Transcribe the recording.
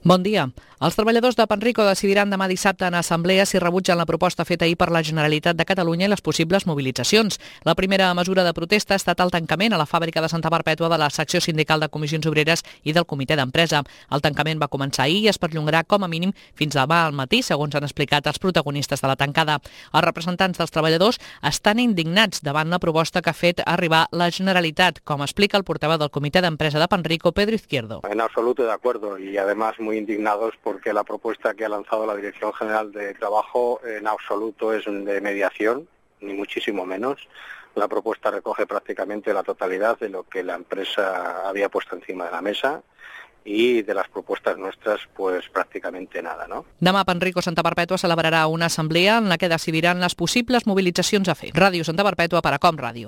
Bon dia. Els treballadors de Panrico decidiran demà dissabte en assemblea si rebutgen la proposta feta ahir per la Generalitat de Catalunya i les possibles mobilitzacions. La primera mesura de protesta ha estat el tancament a la fàbrica de Santa Perpètua de la secció sindical de Comissions Obreres i del Comitè d'Empresa. El tancament va començar ahir i es perllongarà com a mínim fins demà al matí, segons han explicat els protagonistes de la tancada. Els representants dels treballadors estan indignats davant la proposta que ha fet arribar la Generalitat, com explica el portaveu del Comitè d'Empresa de Panrico, Pedro Izquierdo. En absoluto de acuerdo y además muy indignados porque la propuesta que ha lanzado la Dirección General de Trabajo en absoluto es de mediación, ni muchísimo menos. La propuesta recoge prácticamente la totalidad de lo que la empresa había puesto encima de la mesa y de las propuestas nuestras, pues prácticamente nada, ¿no? Demà Panrico Santa Perpètua celebrarà una assemblea en la que decidiran les possibles mobilitzacions a fer. Ràdio Santa Perpètua per a Com Ràdio.